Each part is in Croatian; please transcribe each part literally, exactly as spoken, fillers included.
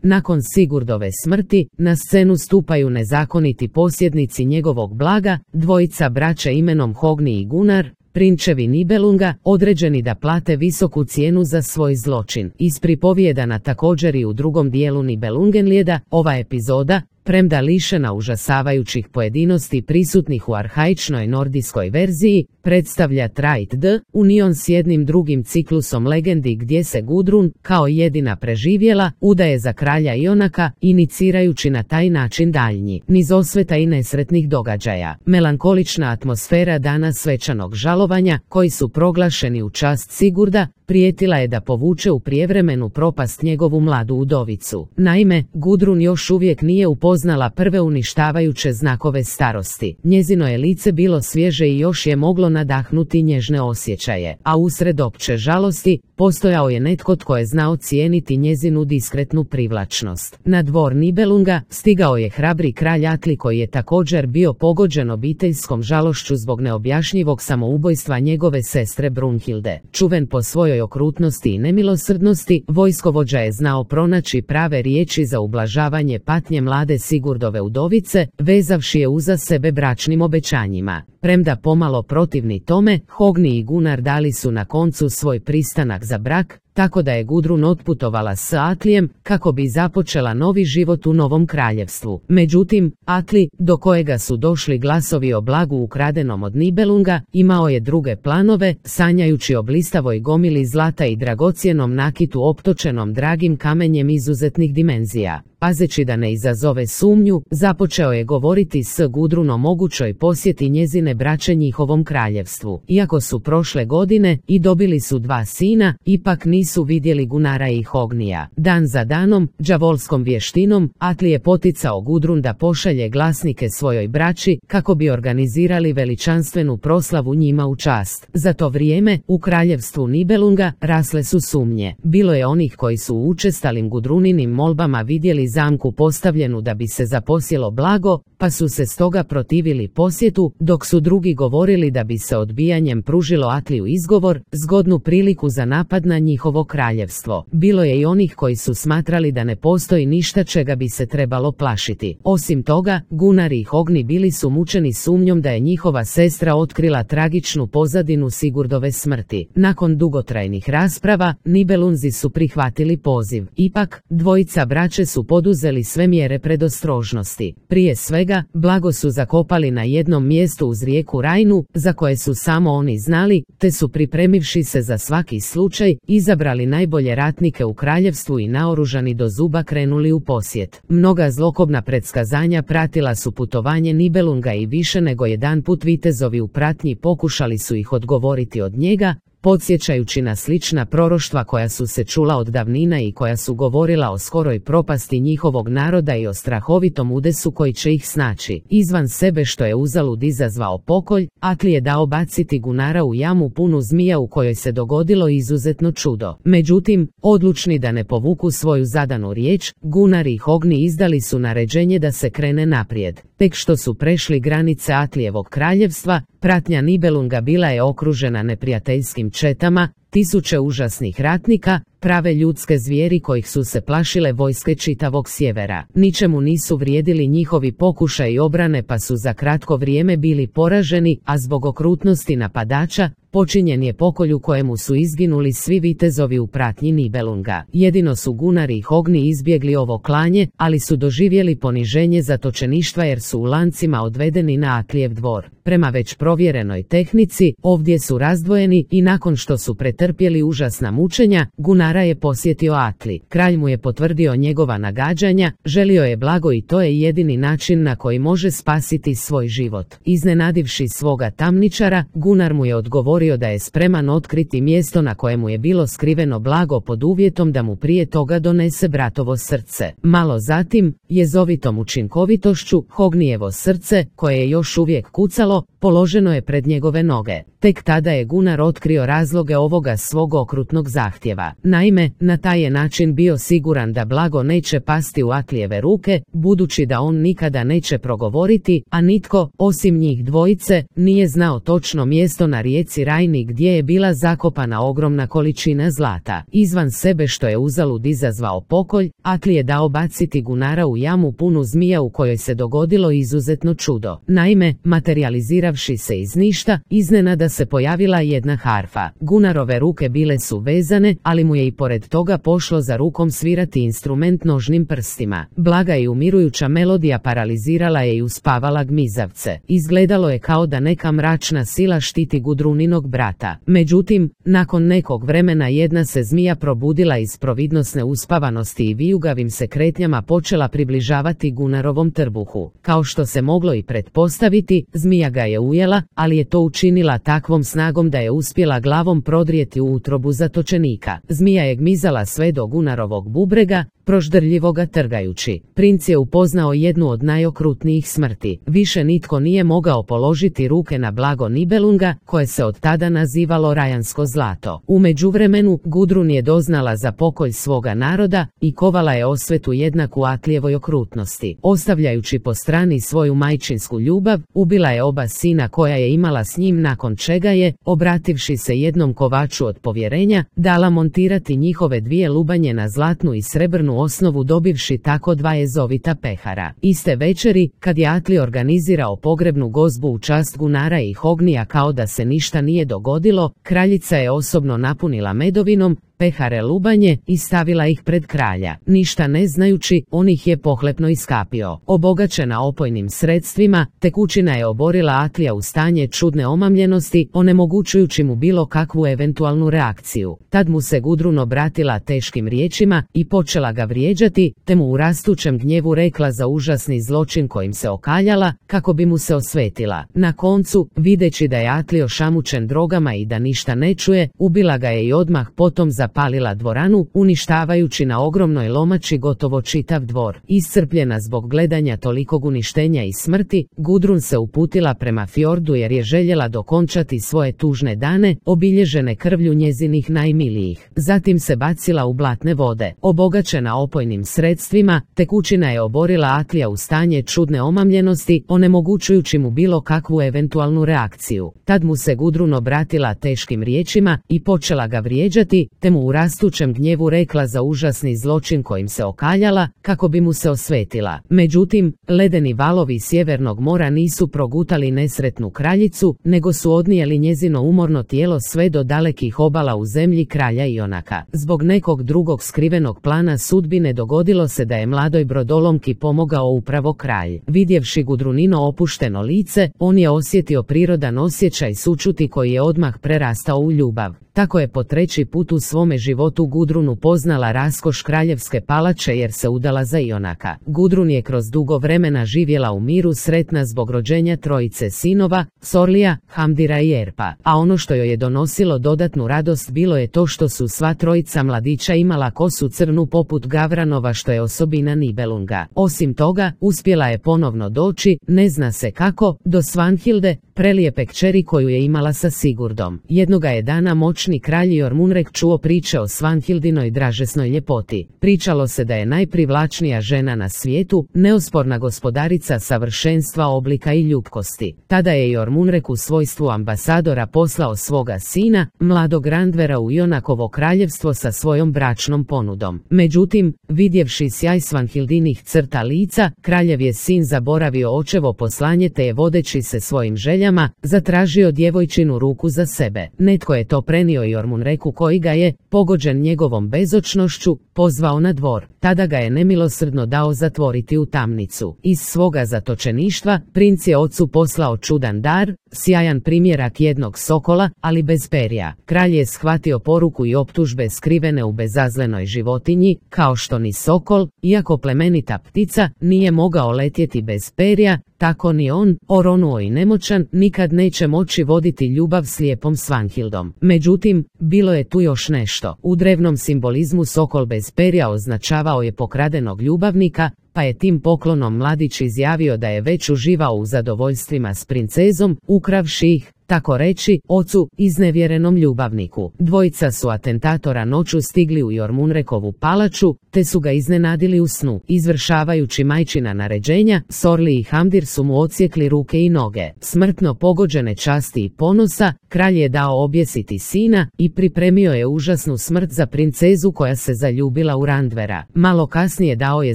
Nakon Sigurdove smrti, na scenu stupaju nezakoniti posjednici njegovog blaga, dvojica braća imenom Hogni i Gunnar, prinčevi Nibelunga, određeni da plate visoku cijenu za svoj zločin. Ispripovijedana također i u drugom dijelu Nibelungenlijeda, ova epizoda, premda lišena užasavajućih pojedinosti prisutnih u arhaičnoj nordijskoj verziji, predstavlja Trajt D. union s jednim drugim ciklusom legendi gdje se Gudrun, kao jedina preživjela, udaje za kralja Ionaka, inicirajući na taj način daljnji niz osveta i nesretnih događaja. Melankolična atmosfera dana svečanog žalovanja, koji su proglašeni u čast Sigurda, prijetila je da povuče u prijevremenu propast njegovu mladu udovicu. Naime, Gudrun još uvijek nije upoznala prve uništavajuće znakove starosti. Njezino je lice bilo svježe i još je moglo nadahnuti nježne osjećaje, a usred opće žalosti, postojao je netko tko je znao cijeniti njezinu diskretnu privlačnost. Na dvor Nibelunga stigao je hrabri kralj Atli koji je također bio pogođen obiteljskom žalošću zbog neobjašnjivog samoubojstva njegove sestre Brunhilde. Čuven po svojoj okrutnosti i nemilosrdnosti, vojskovođa je znao pronaći prave riječi za ublažavanje patnje mlade Sigurdove udovice, vezavši je uza sebe bračnim obećanjima. Premda pomalo protivni tome, Hogni i Gunnar dali su na koncu svoj pristanak za brak, tako da je Gudrun otputovala s Atlijem kako bi započela novi život u novom kraljevstvu. Međutim, Atli, do kojega su došli glasovi o blagu ukradenom od Nibelunga, imao je druge planove, sanjajući o blistavoj gomili zlata i dragocjenom nakitu optočenom dragim kamenjem izuzetnih dimenzija. Pazeći da ne izazove sumnju, započeo je govoriti s Gudrun o mogućoj posjeti njezine braće njihovom kraljevstvu. Iako su prošle godine i dobili su dva sina, ipak nisu vidjeli Gunnara i Hognija. Dan za danom, đavolskom vještinom, Atli je poticao Gudrun da pošalje glasnike svojoj braći kako bi organizirali veličanstvenu proslavu njima u čast. Za to vrijeme, u kraljevstvu Nibelunga rasle su sumnje. Bilo je onih koji su u učestalim Gudruninim molbama vidjeli zamku postavljenu da bi se zaposjelo blago, pa su se stoga protivili posjetu, dok su drugi govorili da bi se odbijanjem pružilo Atliju izgovor, zgodnu priliku za napad na njihovo kraljevstvo. Bilo je i onih koji su smatrali da ne postoji ništa čega bi se trebalo plašiti. Osim toga, Gunnar i Hogni bili su mučeni sumnjom da je njihova sestra otkrila tragičnu pozadinu Sigurdove smrti. Nakon dugotrajnih rasprava, Nibelunzi su prihvatili poziv. Ipak, dvojica braće su poduzeli sve mjere predostrožnosti. Prije svega, blago su zakopali na jednom mjestu uz rijeku Rajnu, za koje su samo oni znali, te su pripremivši se za svaki slučaj, izabrali najbolje ratnike u kraljevstvu i naoružani do zuba krenuli u posjet. Mnoga zlokobna predskazanja pratila su putovanje Nibelunga i više nego jedan put vitezovi u pratnji pokušali su ih odgovoriti od njega, podsjećajući na slična proroštva koja su se čula od davnina i koja su govorila o skoroj propasti njihovog naroda i o strahovitom udesu koji će ih snaći. Izvan sebe što je uzalud izazvao pokolj, Atli je dao baciti Gunnara u jamu punu zmija u kojoj se dogodilo izuzetno čudo. Međutim, odlučni da ne povuku svoju zadanu riječ, Gunnar i Hogni izdali su naređenje da se krene naprijed. Tek što su prešli granice Atlijevog kraljevstva, pratnja Nibelunga bila je okružena neprijateljskim četama, tisuće užasnih ratnika, prave ljudske zvijeri kojih su se plašile vojske čitavog sjevera. Ničemu nisu vrijedili njihovi pokušaji obrane pa su za kratko vrijeme bili poraženi, a zbog okrutnosti napadača, počinjen je pokolj u kojemu su izginuli svi vitezovi u pratnji Nibelunga. Jedino su Gunnar i Hogni izbjegli ovo klanje, ali su doživjeli poniženje zatočeništva jer su u lancima odvedeni na Atlijev dvor. Prema već provjerenoj tehnici, ovdje su razdvojeni i nakon što su pretrpjeli užasna mučenja, Gunnara je posjetio Atli. Kralj mu je potvrdio njegova nagađanja, želio je blago i to je jedini način na koji može spasiti svoj život. Iznenadivši svoga tamničara, Gunnar mu je odgovorio da je spreman otkriti mjesto na kojemu je bilo skriveno blago pod uvjetom da mu prije toga donese bratovo srce. Malo zatim, jezovitom učinkovitošću, Hognijevo srce, koje je još uvijek kucalo, položeno je pred njegove noge. Tek tada je Gunnar otkrio razloge ovoga svog okrutnog zahtjeva. Naime, na taj je način bio siguran da blago neće pasti u Atlijeve ruke, budući da on nikada neće progovoriti, a nitko, osim njih dvojice, nije znao točno mjesto na rijeci Rajni gdje je bila zakopana ogromna količina zlata. Izvan sebe što je uzalud izazvao pokolj, Atli je dao baciti Gunnara u jamu punu zmija u kojoj se dogodilo izuzetno čudo. Naime, materializiravši se iz ništa, iznenada se pojavila jedna harfa. Gunnarove ruke bile su vezane, ali mu je i pored toga pošlo za rukom svirati instrument nožnim prstima. Blaga i umirujuća melodija paralizirala je i uspavala gmizavce. Izgledalo je kao da neka mračna sila štiti Gudruninog brata. Međutim, nakon nekog vremena jedna se zmija probudila iz providnosne uspavanosti i vijugavim se kretnjama počela približavati Gunnarovom trbuhu. Kao što se moglo i pretpostaviti, zmija ga je ujela, ali je to učinila takvom snagom da je uspjela glavom prodrijeti u utrobu zatočenika. Zmija je gmizala sve do Gunnarovog bubrega, proždrljivo ga trgajući. Princ je upoznao jednu od najokrutnijih smrti. Više nitko nije mogao položiti ruke na blago Nibelunga, koje se od tada nazivalo Rajansko zlato. U međuvremenu, Gudrun je doznala za pokolj svoga naroda i kovala je osvetu jednaku Atlijevoj okrutnosti. Ostavljajući po strani svoju majčinsku ljubav, ubila je oba sina koja je imala s njim, nakon čega je, obrativši se jednom kovaču od povjerenja, dala montirati njihove dvije lubanje na zlatnu i srebrnu osnovu, dobivši tako dva jezovita pehara. Iste večeri, kad je Atli organizirao pogrebnu gozbu u čast Gunnara i Hognija kao da se ništa nije dogodilo, kraljica je osobno napunila medovinom pehare lubanje i stavila ih pred kralja. Ništa ne znajući, on ih je pohlepno iskapio. Obogaćena opojnim sredstvima, tekućina je oborila Atlija u stanje čudne omamljenosti, onemogućujući mu bilo kakvu eventualnu reakciju. Tad mu se Gudrun obratila teškim riječima i počela ga vrijeđati, te mu u rastućem gnjevu rekla za užasni zločin kojim se okaljala, kako bi mu se osvetila. Na koncu, videći da je Atli ošamučen drogama i da ništa ne čuje, ubila ga je i odmah potom zapalila dvoranu, uništavajući na ogromnoj lomači gotovo čitav dvor. Iscrpljena zbog gledanja tolikog uništenja i smrti, Gudrun se uputila prema fjordu jer je željela dokončati svoje tužne dane, obilježene krvlju njezinih najmilijih. Zatim se bacila u blatne vode. Obogaćena opojnim sredstvima, tekućina je oborila Atlija u stanje čudne omamljenosti, onemogućujući mu bilo kakvu eventualnu reakciju. Tad mu se Gudrun obratila teškim riječima i počela ga vrijeđati, te mu u rastućem gnjevu rekla za užasni zločin kojim se okaljala, kako bi mu se osvetila. Međutim, ledeni valovi Sjevernog mora nisu progutali nesretnu kraljicu, nego su odnijeli njezino umorno tijelo sve do dalekih obala u zemlji kralja Ionaka. Zbog nekog drugog skrivenog plana sudbine dogodilo se da je mladoj brodolomki pomogao upravo kralj. Vidjevši Gudrunino opušteno lice, on je osjetio prirodan osjećaj sućuti koji je odmah prerastao u ljubav. Tako je po treći put u svome životu Gudrun upoznala raskoš kraljevske palače jer se udala za Ionaka. Gudrun je kroz dugo vremena živjela u miru, sretna zbog rođenja trojice sinova, Sorlija, Hamdira i Erpa, a ono što joj je donosilo dodatnu radost bilo je to što su sva trojica mladića imala kosu crnu poput Gavranova, što je osobina Nibelunga. Osim toga, uspjela je ponovno doći, ne zna se kako, do Svanhilde, prelijepe kćeri koju je imala sa Sigurdom. Jednoga je dana moćni kralj Jormunrek čuo priče o Svanhildinoj dražesnoj ljepoti. Pričalo se da je najprivlačnija žena na svijetu, neosporna gospodarica savršenstva oblika i ljubkosti. Tada je Jormunrek u svojstvu ambasadora poslao svoga sina, mladog Randvera, u Ionakovo kraljevstvo sa svojom bračnom ponudom. Međutim, vidjevši sjaj Svanhildinih crta lica, kraljev je sin zaboravio očevo poslanje te je, vodeći se svojim željama, zatražio djevojčinu ruku za sebe. Netko je to prenio Jormunreku, koji ga je, pogođen njegovom bezočnošću, pozvao na dvor. Tada ga je nemilosrdno dao zatvoriti u tamnicu. Iz svoga zatočeništva, princ je ocu poslao čudan dar, sjajan primjerak jednog sokola, ali bez perja. Kralj je shvatio poruku i optužbe skrivene u bezazlenoj životinji, kao što ni sokol, iako plemenita ptica, nije mogao letjeti bez perja, tako ni on, oronuo i nemoćan, nikad neće moći voditi ljubav s lijepom Svanhildom. Međutim, bilo je tu još nešto. U drevnom simbolizmu sokol bez perja označavao je pokradenog ljubavnika, pa je tim poklonom mladić izjavio da je već uživao u zadovoljstvima s princezom, ukravši ih, tako reći, ocu, iznevjerenom ljubavniku. Dvojica su atentatora noću stigli u Jormunrekovu palaču, te su ga iznenadili u snu. Izvršavajući majčina naređenja, Sorli i Hamdir su mu odsjekli ruke i noge. Smrtno pogođene časti i ponosa, kralj je dao objesiti sina i pripremio je užasnu smrt za princezu koja se zaljubila u Randvera. Malo kasnije dao je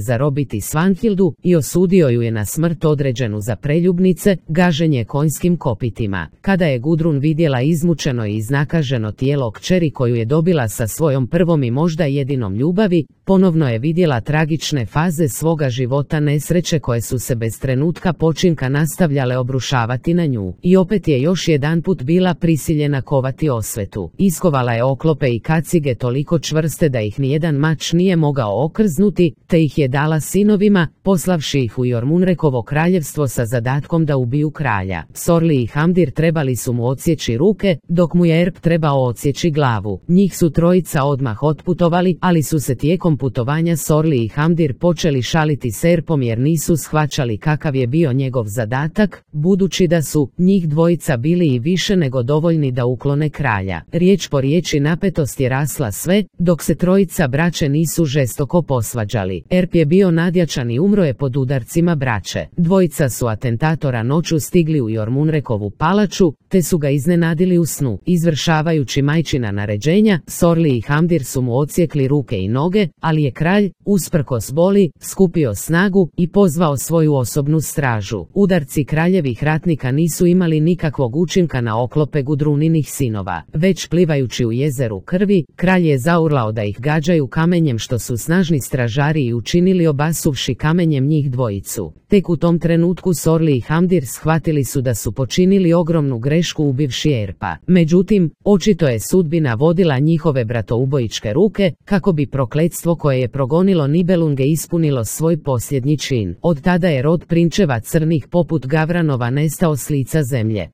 zarobiti Svanhildu i osudio ju je na smrt određenu za preljubnice, gaženje konjskim kopitima. Kada je Gudrun vidjela izmučeno i iznakaženo tijelo kćeri koju je dobila sa svojom prvom i možda jedinom ljubavi, ponovno je vidjela tragične faze svoga života, nesreće koje su se bez trenutka počinka nastavljale obrušavati na nju. I opet je još jedanput bila prisiljena kovati osvetu. Iskovala je oklope i kacige toliko čvrste da ih nijedan mač nije mogao okrznuti, te ih je dala sinovima, poslavši ih u Jormunrekovo kraljevstvo sa zadatkom da ubiju kralja. Sorli i Hamdir trebali su mu odsjeći ruke, dok mu je Erp trebao odsjeći glavu. Njih su trojica odmah otputovali, ali su se tijekom putovanja Sorli i Hamdir počeli šaliti s Erpom jer nisu shvaćali kakav je bio njegov zadatak, budući da su njih dvojica bili i više nego dovoljni da uklone kralja. Riječ po riječi napetost je rasla sve, dok se trojica braće nisu žestoko posvađali. Erp je bio nadjačan i umro je pod udarcima braće. Dvojica su atentatora noću stigli u Jormunrekovu palaču, te su ga iznenadili u snu. Izvršavajući majčina naređenja, Sorli i Hamdir su mu odsjekli ruke i noge, ali je kralj, usprkos boli, skupio snagu i pozvao svoju osobnu stražu. Udarci kraljevih ratnika nisu imali nikakvog učinka na oklope Gudruninih sinova. Već plivajući u jezeru krvi, kralj je zaurlao da ih gađaju kamenjem, što su snažni stražari i učinili, obasuvši kamenjem njih dvojicu. Tek u tom trenutku Sorli i Hamdir shvatili su da su počinili ogromnu grešku ubivši Erpa. Međutim, očito je sudbina vodila njihove bratoubojičke ruke, kako bi prokletstvo koje je progonilo Nibelunge ispunilo svoj posljednji čin. Od tada je rod prinčeva crnih poput Gavranova nestao s lica zemlje.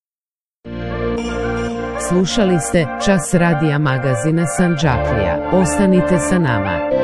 Slušali ste Čas radija magazina Sandžaklija. Ostanite sa nama.